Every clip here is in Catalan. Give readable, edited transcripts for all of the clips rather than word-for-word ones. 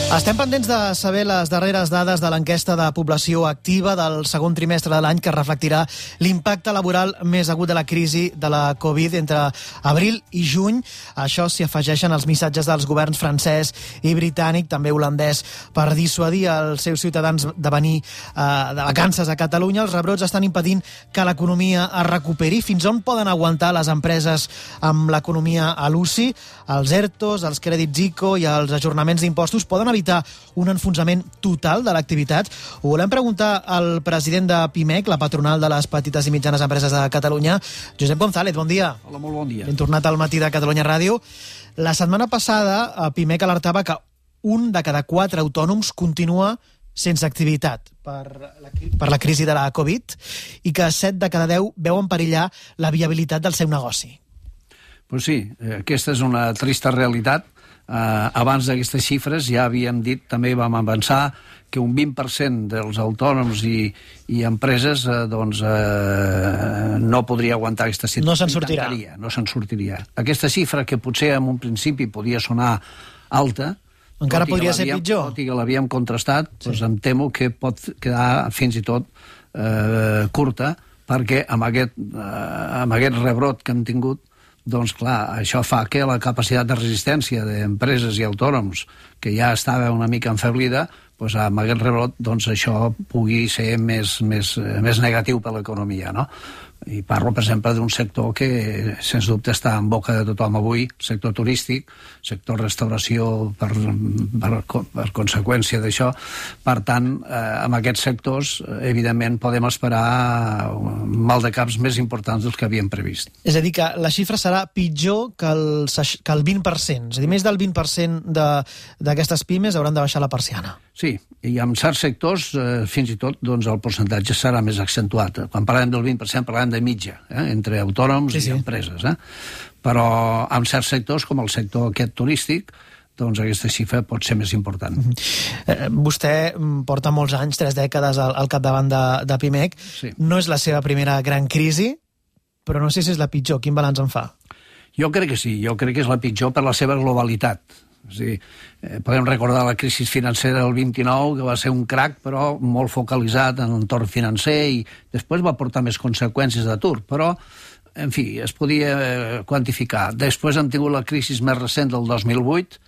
Estem pendents de saber les darreres dades de l'enquesta de població activa del segon trimestre de l'any que reflectirà l'impacte laboral més agut de la crisi de la Covid entre abril i juny. Això s'hi afegeixen els missatges dels governs francès i britànic, també holandès, per dissuadir els seus ciutadans de venir de vacances a Catalunya. Els rebrots estan impedint que l'economia es recuperi. Fins on poden aguantar les empreses amb l'economia a l'UCI? Els ERTOs, els crèdits ICO i els ajornaments d'impostos poden evitar un enfonsament total de l'activitat? Ho volem preguntar al president de PIMEC, la patronal de les petites i mitjanes empreses de Catalunya, Josep González. Bon dia. Hola, molt bon dia. Ben tornat al matí de Catalunya Ràdio. La setmana passada, PIMEC alertava que 1 de cada 4 autònoms continua sense activitat per la crisi de la Covid i que 7 de cada 10 veuen perillar la viabilitat del seu negoci. Pues sí, aquesta és una trista realitat. Abans d'aquestes xifres ja havíem dit, també vam avançar, que un 20% dels autònoms i empreses no podria aguantar aquesta situació. No se'n sortirà. No se'n sortiria. Aquesta xifra, que potser en un principi podia sonar alta, encara podria ser pitjor. Tot i que l'havíem contrastat, doncs em temo que pot quedar fins i tot curta, perquè amb aquest rebrot que hem tingut, doncs clar, això fa que la capacitat de resistència d'empreses i autònoms, que ja estava una mica enfeblida, doncs amb aquest rebrot doncs això pugui ser més negatiu per l'economia, no? I parlo, per exemple, d'un sector que, sens dubte, està en boca de tothom avui, sector turístic, sector restauració per conseqüència d'això. Per tant, amb aquests sectors, evidentment, podem esperar mal de caps més importants dels que havíem previst. És a dir, que la xifra serà pitjor que el 20%. És a dir, més del 20% d'aquestes pimes hauran de baixar la persiana. Sí, i en certs sectors, fins i tot, doncs, el percentatge serà més accentuat. Quan parlem del 20%, parlem de mitja, entre autònoms i empreses. Però en certs sectors, com el sector aquest turístic, doncs aquesta xifra pot ser més important. Vostè porta molts anys, 3 dècades al capdavant de PIMEC. Sí. No és la seva primera gran crisi, però no sé si és la pitjor. Quin balanç en fa? Jo crec que sí, jo crec que és la pitjor per la seva globalitat. És a dir, podem recordar la crisi financera del 29, que va ser un crac, però molt focalitzat en l'entorn financer, i després va portar més conseqüències d'atur, però, en fi, es podia quantificar. Després hem tingut la crisi més recent del 2008,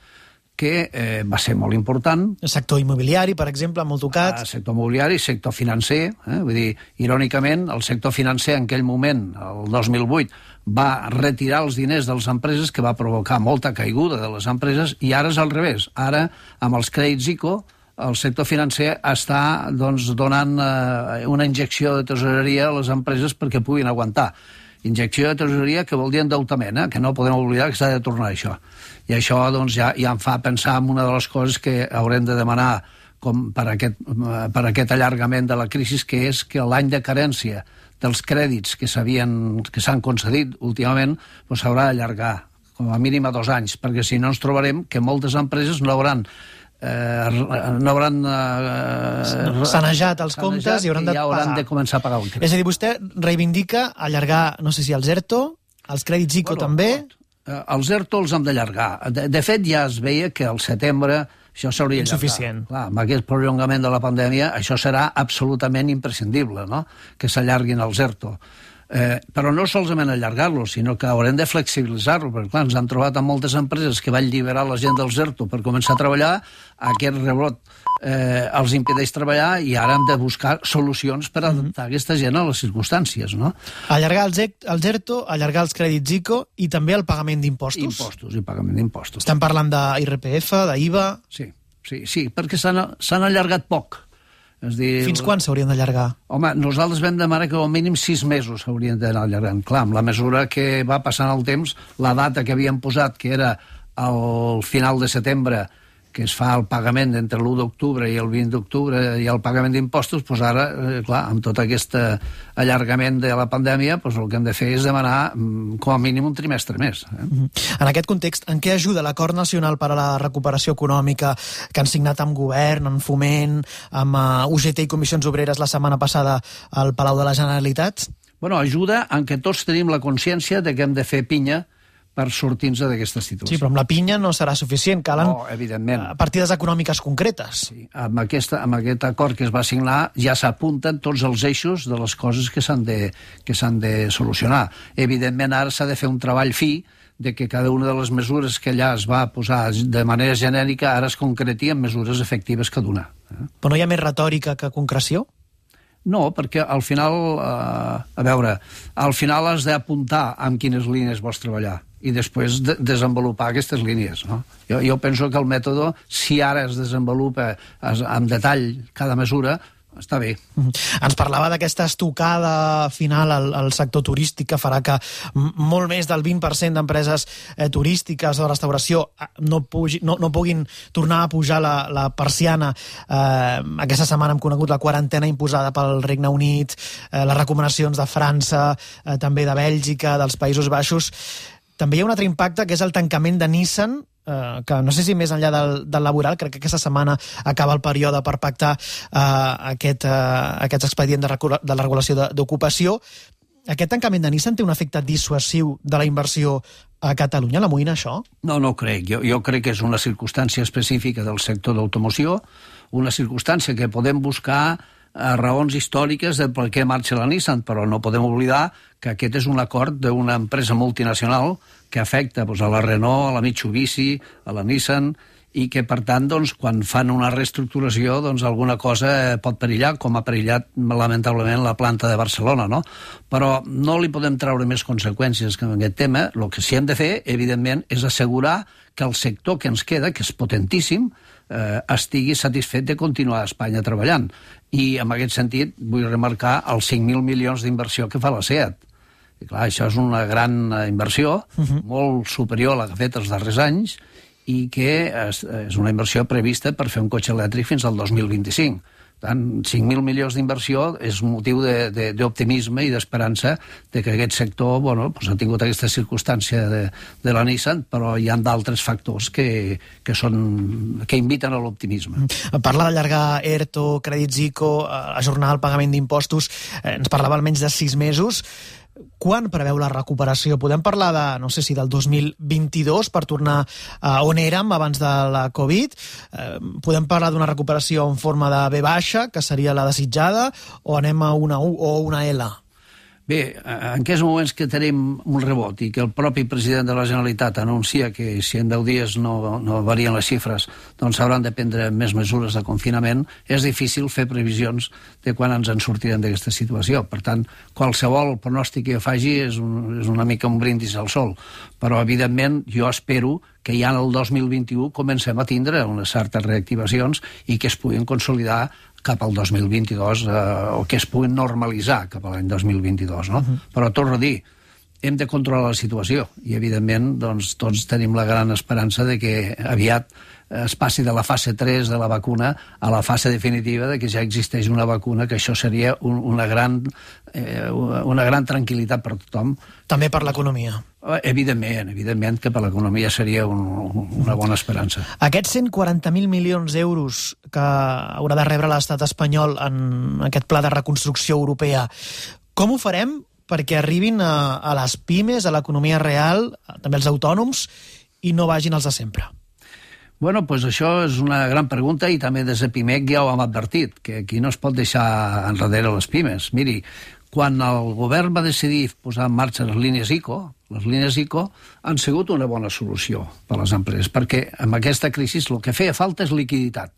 que va ser molt important. El sector immobiliari, per exemple, molt tocat. Sector immobiliari, sector financer. Vull dir, irònicament, el sector financer en aquell moment, el 2008, va retirar els diners de les empreses, que va provocar molta caiguda de les empreses, i ara és al revés. Ara, amb els crèdits ICO, el sector financer està donant una injecció de tesoreria a les empreses perquè puguin aguantar. Injecció de tesoreria que vol dir endeutament, que no podem oblidar que s'ha de tornar això. I això doncs, ja em fa pensar en una de les coses que haurem de demanar per aquest allargament de la crisi, que és que l'any de carència dels crèdits que s'han concedit últimament s'haurà d'allargar com a mínim a 2 anys, perquè si no ens trobarem que moltes empreses no hauran sanejat els comptes i hauran de començar a pagar un crèdit. És a dir, vostè reivindica allargar, no sé si els ERTO, els crèdits ICO també? Els ERTO els hem d'allargar. De fet, ja es veia que al setembre això s'hauria d'allargar. Insuficient. Clar, amb aquest prolongament de la pandèmia, això serà absolutament imprescindible, no?, que s'allarguin els ERTO. Però no solament allargar-lo, sinó que haurem de flexibilitzar-lo, perquè clar, ens han trobat amb moltes empreses que van alliberar la gent dels ERTO per començar a treballar, aquest rebrot els impedeix treballar, i ara hem de buscar solucions per adaptar aquesta gent a les circumstàncies, no? Allargar els ERTO, allargar els crèdits ICO i també el pagament d'impostos. Impostos i pagament d'impostos. Estem parlant d'IRPF, d'IVA... Sí, perquè s'han allargat poc. És dir, fins quan s'haurien d'allargar? Home, nosaltres vam demanar que al mínim 6 mesos s'haurien d'anar allargant. Clar, amb la mesura que va passant el temps, la data que havíem posat, que era al final de setembre, que es fa el pagament entre l'1 d'octubre i el 20 d'octubre i el pagament d'impostos, doncs ara, clar, amb tot aquest allargament de la pandèmia, doncs el que hem de fer és demanar com a mínim un trimestre més. En aquest context, en què ajuda l'Acord Nacional per a la Recuperació Econòmica que han signat amb Govern, amb Foment, amb UGT i Comissions Obreres la setmana passada al Palau de la Generalitat? Bueno, ajuda en què tots tenim la consciència de que hem de fer pinya per sortir-nos d'aquesta situació. Sí, però amb la pinya no serà suficient, calen partides econòmiques concretes. Sí, amb aquest acord que es va signar ja s'apunten tots els eixos de les coses que s'han de solucionar. Evidentment, ara s'ha de fer un treball fi de que cada una de les mesures que allà es va posar de manera genèrica ara es concreti en mesures efectives que donar. Però no hi ha més retòrica que concreció? No, perquè al final, al final has d'apuntar amb quines línies vols treballar i després desenvolupar aquestes línies, no? Jo penso que el mètode, si ara es desenvolupa amb detall cada mesura, està bé. Ens parlava d'aquesta estocada final al sector turístic que farà que molt més del 20% d'empreses turístiques o de restauració no puguin tornar a pujar la persiana. Aquesta setmana hem conegut la quarantena imposada pel Regne Unit, les recomanacions de França, també de Bèlgica, dels Països Baixos. També hi ha un altre impacte, que és el tancament de Nissan, que no sé si més enllà del laboral, crec que aquesta setmana acaba el període per pactar aquest expedient de la regulació d'ocupació. Aquest tancament de Nissan té un efecte dissuasiu de la inversió a Catalunya? L'amoïna això? No crec. Jo crec que és una circumstància específica del sector d'automoció, una circumstància que podem buscar raons històriques de per què marxa la Nissan, però no podem oblidar que aquest és un acord d'una empresa multinacional que afecta a la Renault, a la Mitsubishi, a la Nissan, i que, per tant, quan fan una reestructuració, alguna cosa pot perillar, com ha perillat, lamentablement, la planta de Barcelona, no? Però no li podem treure més conseqüències que en aquest tema. El que sí hem de fer, evidentment, és assegurar que el sector que ens queda, que és potentíssim, estigui satisfet de continuar a Espanya treballant. I, en aquest sentit, vull remarcar els 5.000 milions d'inversió que fa la SEAT. I, clar, això és una gran inversió, molt superior a la que ha fet els darrers anys, i que és una inversió prevista per fer un cotxe elèctric fins al 2025. Per tant, 5.000 milions d'inversió és motiu d'optimisme i d'esperança de que aquest sector ha tingut aquesta circumstància de la Nissan, però hi ha d'altres factors que inviten a l'optimisme. Parla d'allargar ERTO, crèdits ICO, ajornar el pagament d'impostos. Ens parlava almenys de 6 mesos. Quan preveu la recuperació? Podem parlar del 2022 per tornar on érem abans de la Covid? Podem parlar d'una recuperació en forma de V baixa, que seria la desitjada, o anem a una U o una L? Bé, en aquests moments que tenim un rebot i que el propi president de la Generalitat anuncia que si en 10 dies no varien les xifres, doncs s'hauran de prendre més mesures de confinament, és difícil fer previsions de quan ens en sortirem d'aquesta situació. Per tant, qualsevol pronòstic que jo faci és una mica un brindis al sol. Però, evidentment, jo espero que ja en el 2021 comencem a tindre unes certes reactivacions i que es puguin consolidar cap al 2022 o que es puguin normalitzar cap a l'any 2022, no? Però torno a dir, hem de controlar la situació i, evidentment, tots tenim la gran esperança de que aviat es passi de la fase 3 de la vacuna a la fase definitiva de que ja existeix una vacuna, que això seria una gran tranquil·litat per tothom. També per l'economia. Evidentment que per l'economia seria una bona esperança. Aquests 140.000 milions d'euros que haurà de rebre l'estat espanyol en aquest pla de reconstrucció europea, com ho farem perquè arribin a les pimes, a l'economia real, també als autònoms, i no vagin els de sempre? Bueno, doncs això és una gran pregunta i també des de PIMEC ja ho hem advertit, que aquí no es pot deixar enrere les pimes. Miri, quan el govern va decidir posar en marxa les línies ICO han sigut una bona solució per a les empreses, perquè amb aquesta crisi el que feia falta és liquiditat.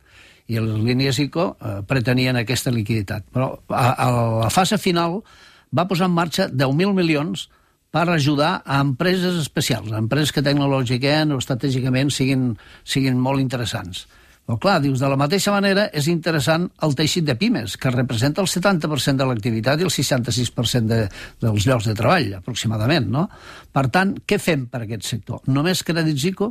I les línies ICO pretenien aquesta liquiditat. Però a la fase final va posar en marxa 10.000 milions per ajudar a empreses especials, a empreses que tecnològicament o estratègicament siguin molt interessants. Però clar, dius, de la mateixa manera és interessant el teixit de pimes, que representa el 70% de l'activitat i el 66% dels llocs de treball, aproximadament, no? Per tant, què fem per aquest sector? Només crèdits ICO?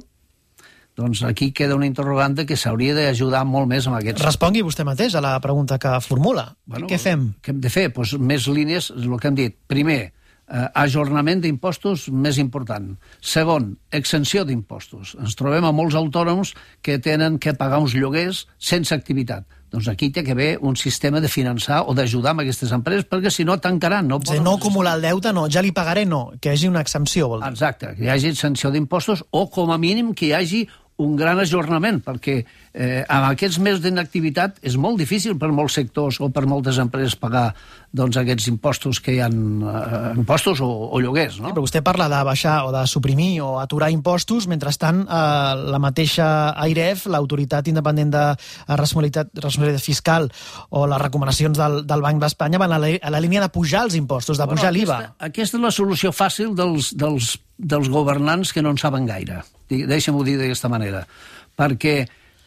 Doncs aquí queda una interrogant que s'hauria d'ajudar molt més amb aquests... Respongui vostè mateix a la pregunta que formula. Què fem? Què hem de fer? Doncs més línies, és el que hem dit. Primer, ajornament d'impostos més important. Segon, exenció d'impostos. Ens trobem a molts autònoms que tenen que pagar uns lloguers sense activitat. Doncs aquí té que haver un sistema de finançar o d'ajudar amb aquestes empreses, perquè si no tancaran. No acumular el deute, no, ja li pagaré, no, que hi hagi una exempció, vol dir. Exacte, que hi hagi exenció d'impostos o com a mínim que hi hagi un gran ajornament, perquè amb aquests mesos d'inactivitat és molt difícil per molts sectors o per moltes empreses pagar aquests impostos que hi ha, impostos o lloguers. No? Sí, però vostè parla de baixar o de suprimir o aturar impostos, mentrestant la mateixa AIREF, l'Autoritat Independent de Responsabilitat Fiscal, o les recomanacions del Banc d'Espanya van a la línia de pujar els impostos, de pujar l'IVA. Aquesta és la solució fàcil dels governants que no en saben gaire. Deixa'm-ho dir d'aquesta manera. Perquè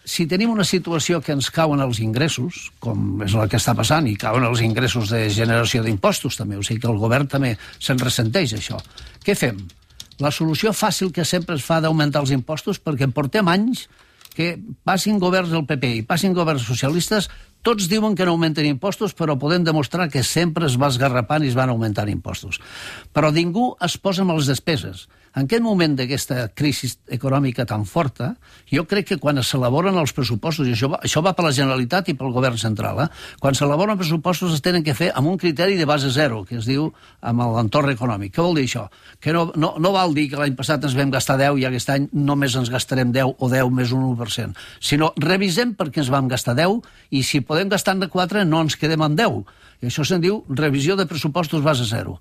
si tenim una situació que ens cauen els ingressos, com és el que està passant, i cauen els ingressos de generació d'impostos també, o sigui que el govern també se'n ressenteix, això. Què fem? La solució fàcil que sempre es fa d'augmentar els impostos, perquè portem anys que passin governs del PP i passin governs socialistes, tots diuen que no augmenten impostos, però podem demostrar que sempre es va esgarrapant i es van augmentant impostos. Però ningú es posa amb les despeses. En aquest moment d'aquesta crisi econòmica tan forta, jo crec que quan s'elaboren els pressupostos, i això va per la Generalitat i pel govern central, quan s'elaboren pressupostos es tenen que fer amb un criteri de base zero, que es diu amb l'entorn econòmic. Què vol dir això? Que no val dir que l'any passat ens vam gastar 10 i aquest any només ens gastarem 10 o 10 més un 1%, sinó revisem per què ens vam gastar 10 i si podem gastar-ne 4 no ens quedem amb 10. I això se'n diu revisió de pressupostos base zero.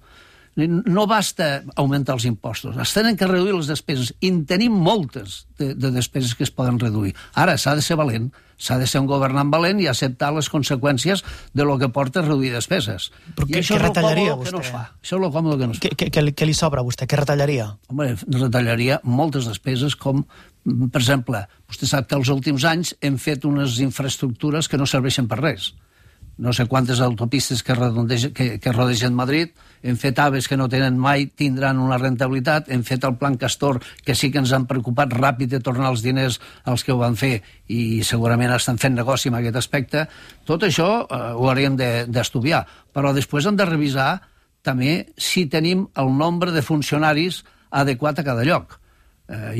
No basta augmentar els impostos, es tenen que reduir les despeses, i en tenim moltes de despeses que es poden reduir. Ara s'ha de ser valent, s'ha de ser un governant valent i acceptar les conseqüències de lo que porta a reduir despeses. Però què retallaria vostè? Que no es fa. Això és el còmode que no es fa. Què li sobra a vostè? Què retallaria? Home, retallaria moltes despeses com, per exemple, vostè sap que els últims anys hem fet unes infraestructures que no serveixen per res. No sé quantes autopistes que rodegen Madrid, hem fet AVEs que no tenen mai, tindran una rentabilitat, hem fet el Plan Castor, que sí que ens han preocupat ràpid de tornar els diners als que ho van fer i segurament estan fent negoci en aquest aspecte. Tot això ho hauríem d'estudiar, però després hem de revisar també si tenim el nombre de funcionaris adequat a cada lloc.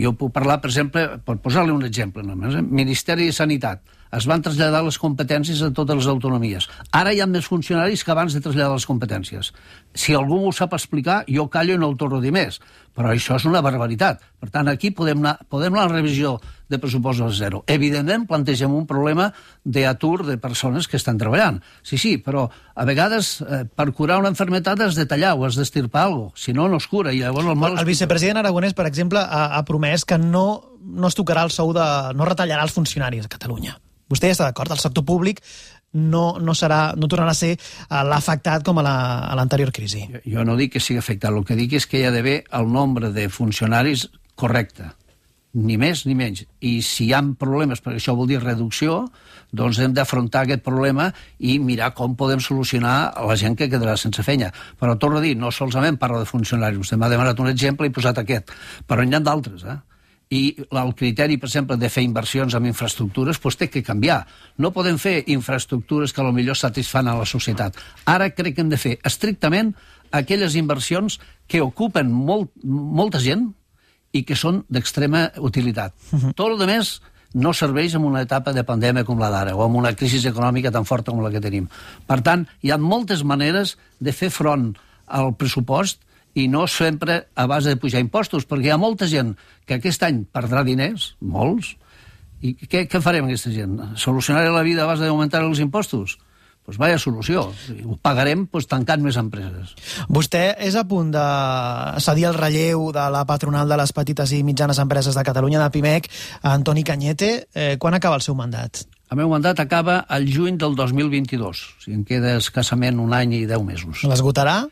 Jo puc parlar, per exemple, per posar-li un exemple només, Ministeri de Sanitat. Es van traslladar les competències a totes les autonomies. Ara hi ha més funcionaris que abans de traslladar les competències. Si algú m'ho sap explicar, jo callo i no el torno a dir més. Però això és una barbaritat. Per tant, aquí podem anar a la revisió de pressupostos a zero. Evidentment, plantegem un problema d'atur de persones que estan treballant. Sí, però a vegades per curar una malaltia has de tallar o has d'estirpar alguna cosa. Si no, no es cura. I llavors el vicepresident Aragonès, per exemple, ha promès que no es tocarà el sou no retallarà els funcionaris a Catalunya. Vostè ja està d'acord? El sector públic no tornarà a ser l'afectat com a l'anterior crisi. Jo no dic que sigui afectat, el que dic és que hi ha d'haver el nombre de funcionaris correcte, ni més ni menys. I si hi ha problemes, perquè això vol dir reducció, doncs hem d'afrontar aquest problema i mirar com podem solucionar a la gent que quedarà sense feina. Però torno a dir, no solament parlo de funcionaris, vostè m'ha demanat un exemple i he posat aquest, però n'hi ha d'altres, i el criteri, per exemple, de fer inversions en infraestructures té que canviar. No podem fer infraestructures que potser satisfan a la societat. Ara crec que hem de fer estrictament aquelles inversions que ocupen molta gent i que són d'extrema utilitat. Tot el més no serveix en una etapa de pandèmia com la d'ara o en una crisi econòmica tan forta com la que tenim. Per tant, hi ha moltes maneres de fer front al pressupost i no sempre a base de pujar impostos, perquè hi ha molta gent que aquest any perdrà diners, molts, i què farem amb aquesta gent? Solucionar la vida a base d'augmentar els impostos? Doncs vaya solució. Ho pagarem tancant més empreses. Vostè és a punt de cedir el relleu de la patronal de les petites i mitjanes empreses de Catalunya, de Pimec, a Antoni Cañete. Quan acaba el seu mandat? El meu mandat acaba al juny del 2022. O sigui, em queda escassament un any i 10 mesos. L'esgotarà?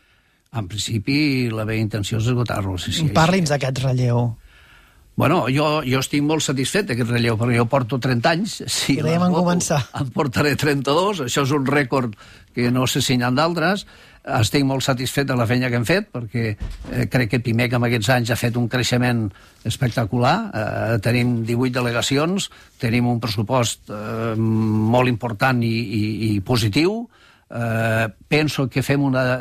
En principi, la meva intenció és esgotar-lo. Sí, Parli'ns d'aquest relleu. Bueno, jo estic molt satisfet d'aquest relleu, perquè jo porto 30 anys. Si ho dèiem en començar. En portaré 32, això és un rècord que no sé si n'hi ha d'altres. Estic molt satisfet de la feina que hem fet, perquè crec que Pimec en aquests anys ha fet un creixement espectacular. Tenim 18 delegacions, tenim un pressupost molt important i positiu. penso que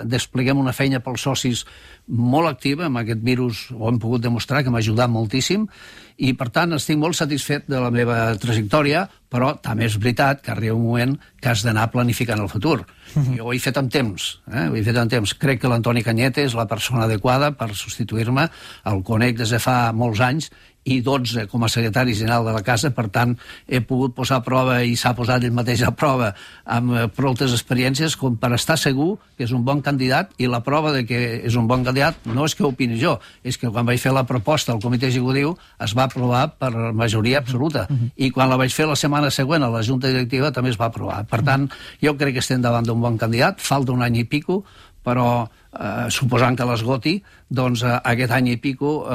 despleguem una feina pels socis molt activa. Amb aquest virus ho hem pogut demostrar, que m'ha ajudat moltíssim, i per tant estic molt satisfet de la meva trajectòria, però també és veritat que arriba un moment que has d'anar planificant el futur. Jo ho he fet amb temps, Crec que l'Antoni Cañete és la persona adequada per substituir-me. El conec des de fa molts anys i 12 com a secretari general de la casa, per tant he pogut posar a prova, i s'ha posat ell mateix a prova amb prou experiències com per estar segur que és un bon candidat. I la prova de que és un bon candidat no és que ho opini jo, és que quan vaig fer la proposta al comitè executiu es va aprovar per majoria absoluta, i quan la vaig fer la setmana següent a la junta directiva també es va aprovar. Per tant, jo crec que estem davant d'un bon candidat. Falta un any i pico, però suposant que l'esgoti, doncs aquest any i pico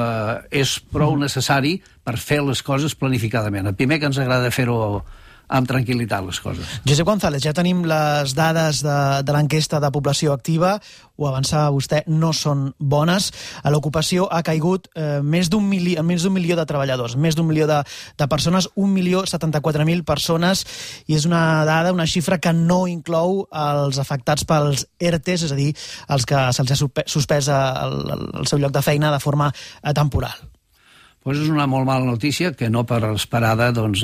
és prou necessari per fer les coses planificadament. A primer que ens agrada fer-ho amb tranquil·litat, les coses. Josep González, ja tenim les dades de l'enquesta de població activa. Ho avançava vostè, no són bones. L'ocupació ha caigut més d'un milió de treballadors, més d'un milió de persones, 1.074.000 persones, i és una dada, una xifra que no inclou els afectats pels ERTEs, és a dir, els que se'ls ha suspès el seu lloc de feina de forma temporal. Doncs és una molt mala notícia, que no per esperada, doncs,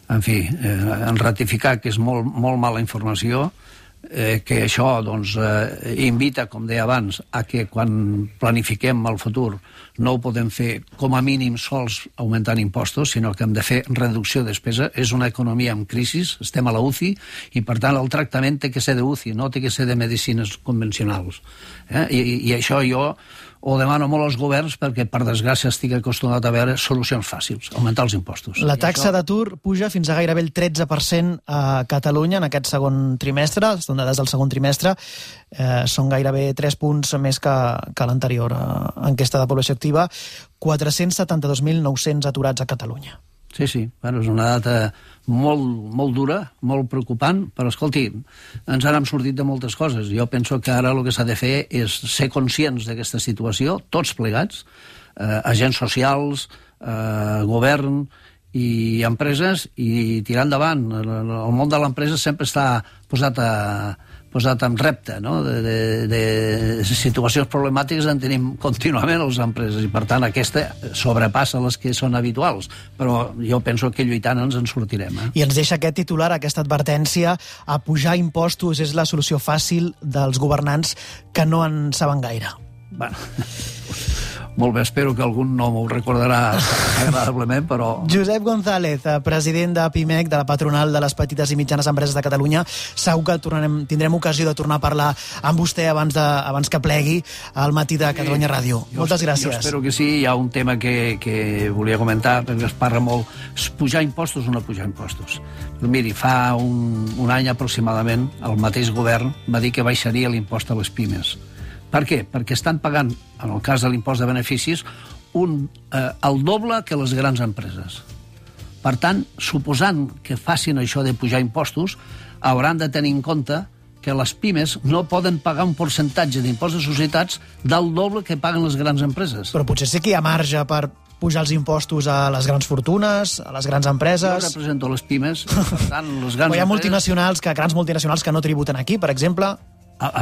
en fi, en ratificar que és molt mala informació, que això doncs, invita, com deia abans, a que quan planifiquem el futur no ho podem fer com a mínim sols augmentant impostos, sinó que hem de fer reducció de despesa. És una economia en crisi, estem a la UCI, i per tant el tractament té que ser de UCI, no té que ser de medicines convencionals. I això jo ho demano molt als governs, perquè per desgràcia estic acostumat a veure solucions fàcils, augmentar els impostos. La taxa d'atur puja fins a gairebé el 13% a Catalunya en aquest segon trimestre. Són dades del segon trimestre, són gairebé 3 punts més que l'anterior enquesta de població activa. 472.900 aturats a Catalunya. Sí, bueno, és una data molt dura, molt preocupant, però escolti, ens n'hem sortit de moltes coses. Jo penso que ara el que s'ha de fer és ser conscients d'aquesta situació, tots plegats, agents socials, govern i empreses, i tirar endavant. El món de l'empresa sempre està posat en repte, no? De situacions problemàtiques en tenim contínuament les empreses, i per tant aquesta sobrepassa les que són habituals, però jo penso que lluitant ens en sortirem. I ens deixa aquest titular, aquesta advertència: a pujar impostos és la solució fàcil dels governants que no en saben gaire. Bueno, molt bé, espero que algun no m'ho recordarà agradablement, però... Josep González, president de PIMEC, de la patronal de les petites i mitjanes empreses de Catalunya. Segur que tindrem ocasió de tornar a parlar amb vostè abans que plegui al Matí de Catalunya Ràdio. Moltes gràcies. Jo espero que sí. Hi ha un tema que volia comentar, perquè es parla molt, pujar impostos o no pujar impostos. Però miri, fa un any aproximadament el mateix govern va dir que baixaria l'impost a les pimes. Per què? Perquè estan pagant, en el cas de l'impost de beneficis, el doble que les grans empreses. Per tant, suposant que facin això de pujar impostos, hauran de tenir en compte que les pimes no poden pagar un percentatge d'impost de societats del doble que paguen les grans empreses. Però potser sí que hi ha marge per pujar els impostos a les grans fortunes, a les grans empreses... Jo represento les pimes, per tant, les grans empreses... Hi ha grans multinacionals que no tributen aquí, per exemple...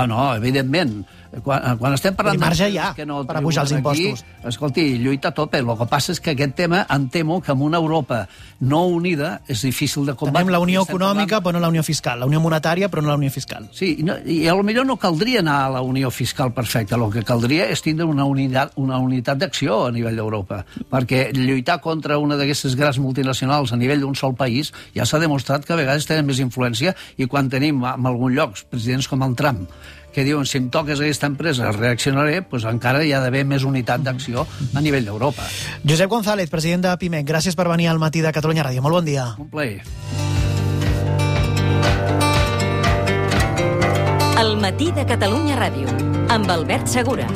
No, evidentment. Quan estem parlant marge hi ha que no per pujar els impostos. Aquí, escolti, lluita a tope. El que passa és que aquest tema em temo que amb una Europa no unida és difícil de combatre. Tenim la unió econòmica, però no la unió fiscal. La unió monetària, però no la unió fiscal. Sí, i potser no caldria anar a la unió fiscal perfecta. El que caldria és tindre una unitat d'acció a nivell d'Europa. Perquè lluitar contra una d'aquestes grans multinacionals a nivell d'un sol país ja s'ha demostrat que a vegades tenen més influència, i quan tenim en algun lloc presidents com el Trump que diuen si em toques aquesta empresa reaccionaré, doncs encara hi ha d'haver més unitat d'acció a nivell d'Europa. Josep González, president de PIMEC, gràcies per venir al Matí de Catalunya Ràdio. Molt bon dia. Un plaer. El Matí de Catalunya Ràdio, amb Albert Segura.